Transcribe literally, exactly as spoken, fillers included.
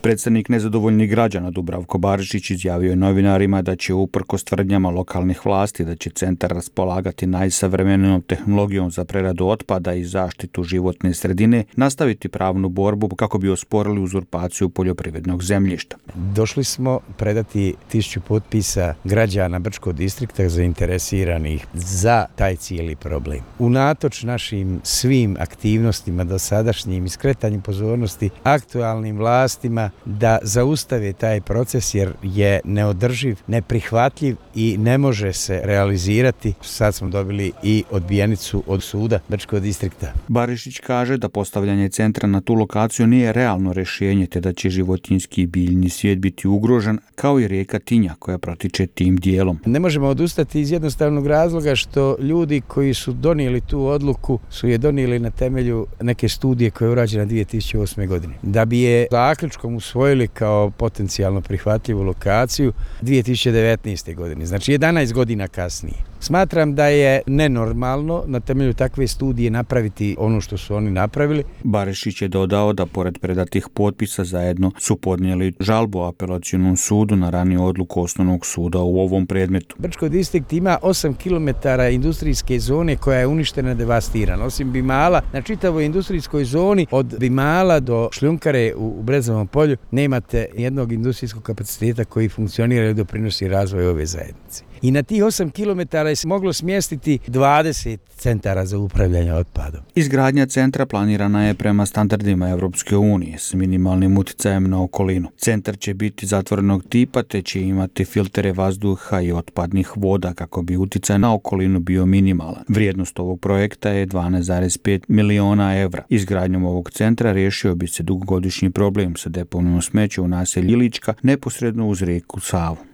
Predstavnik nezadovoljnih građana Dubravko Barišić izjavio je novinarima da će uprkos tvrdnjama lokalnih vlasti da će centar raspolagati najsavremenijom tehnologijom za preradu otpada i zaštitu životne sredine nastaviti pravnu borbu kako bi osporili uzurpaciju poljoprivrednog zemljišta. Došli smo predati tisuću potpisa građana Brčkog distrikta zainteresiranih za taj cijeli problem. Unatoč našim svim aktivnostima dosadašnjim i skretanjem pozornosti aktualnim vlastima da zaustave taj proces jer je neodrživ, neprihvatljiv i ne može se realizirati. Sad smo dobili i odbijenicu od suda Brčkog distrikta. Barišić kaže da postavljanje centra na tu lokaciju nije realno rješenje te da će životinjski i biljni svijet biti ugrožen kao i rijeka Tinja koja protiče tim dijelom. Ne možemo odustati iz jednostavnog razloga što ljudi koji su donijeli tu odluku su je donijeli na temelju neke studije koja je urađena dvije tisuće osme. godine. Da bi je zaključkom usvojili kao potencijalno prihvatljivu lokaciju dvije tisuće devetnaeste. godine, znači jedanaest godina kasnije. Smatram da je nenormalno na temelju takve studije napraviti ono što su oni napravili. Barišić je dodao da pored predatih potpisa zajedno su podnijeli žalbu apelacionom sudu na raniju odluku osnovnog suda u ovom predmetu. Brčko distrikt ima osam kilometara industrijske zone koja je uništena, devastirana. Osim Bimala, na čitavoj industrijskoj zoni od Bimala do šljunkare u Brezovom polju nemate jednog industrijskog kapaciteta koji funkcionira i doprinosi razvoju ove zajednice. I na tih osam kilometara je se moglo smjestiti dvadeset centara za upravljanje otpadom. Izgradnja centra planirana je prema standardima Europske unije s minimalnim utjecajem na okolinu. Centar će biti zatvorenog tipa te će imati filtere vazduha i otpadnih voda kako bi utjecaj na okolinu bio minimalan. Vrijednost ovog projekta je dvanaest zarez pet miliona evra. Izgradnjom ovog centra riješio bi se dugogodišnji problem sa deponijom smeća u naselju Ilička neposredno uz rijeku Savu.